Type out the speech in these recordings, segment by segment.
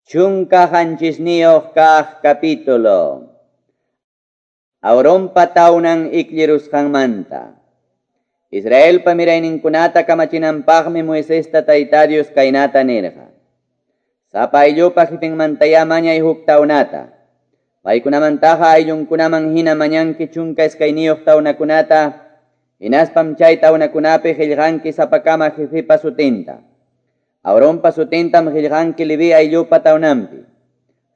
17 kaq capítulo. Aaronpa tawnan iklirusqanmanta. Israelpa mirayninkunata kamachinanpaqmi Moisesta Tayta Dios kaynata nirqa. Sapa ayllupa jefenmantayá mañay huk tawnata. Paykunamantaqa ayllunkunaman hina mañanki 12 tawnakunata, hinaspam chay tawnakunapi qillqanki sapakama jefepa sutinta. Aaronpa sutintam qillqanki Leví ayllupa tawnanpi.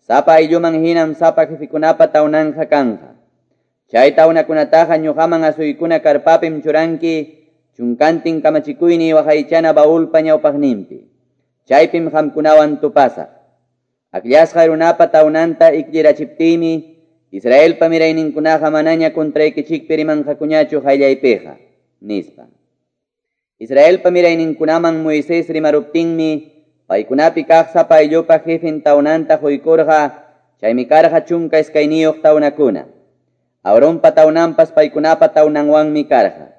Sapa aylluman hinam sapa jefekunapa tawnanja kanja. Chay tawnakunataqa ñuqaman asuykuna karpapim churanki, chunkantin kamachikuyni waqaychana baulpa ñawpaqninpi. Chaypim qamkunawan tupasaq. Akllasqa runapa tawnanta iklirachiptiymi, Israelpa mirayninkunaqa manaña contraykichikpi rimanqakuñachu qayllaypiqa, nispa. Israelpa mirayninkunaman Moisés rimaruptinmi, paykunapi kaq sapa ayllupa jefen tawnanta quykurqa, chaymi karqa 12 tawnakuna. Aaronpa tawnanpas paykunapa tawnanwanmi karqa.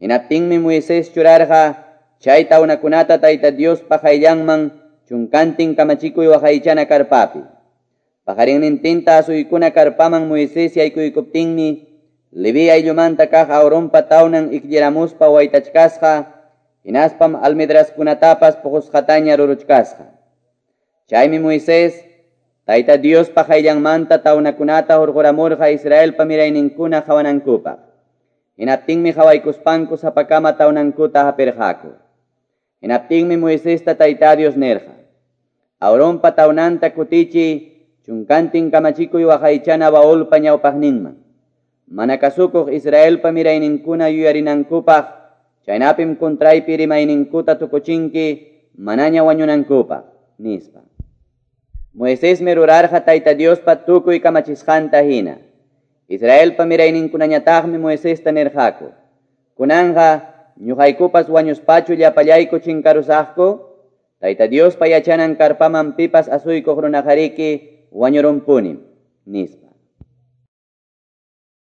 Hinaptinmi Moisés churarqa chay tawnakunata Tayta Diospa qayllanman chunkantin kamachikuy waqaychana karpapi. Paqarinnintinta asuykuna karpaman Moisés yaykuykuptinmi, Leví ayllumanta kaq Aaronpa tawnan iklliramuspa waytachkasqa, hinaspam almedraskunatapas puqusqataña ruruchkasqa. Chaymi Moisés Tayta Diospa qayllanmanta tawnakunata hurquramurqa Israelpa mirayninkuna qhawanankupaq. Hinaptinmi qhawaykuspanku sapakama tawnankuta hapirqaku. Hinaptinmi Moisesta Tayta Dios nirqa: Aaronpa tawnanta kutichiy chunkantin kamachikuy waqaychana baulpa ñawpaqninman. Mana kasukuq Israelpa mirayninkuna yuyarinankupaq, chaynapim contraypi rimayninkuta tukuchinki manaña wañunankupaq, nispa. Moisésmi rurarqa Tayta Diospa tukuy kamachisqanta hina. Israelpa mirayninkunañataqmi Moisesta nirqaku: Kunanqa ñuqaykupas wañuspachu llapallayku chinkarusaqku? Tayta Diospa yachanan karpaman pipas asuykuq runaqariki wañurunpunim, nispa.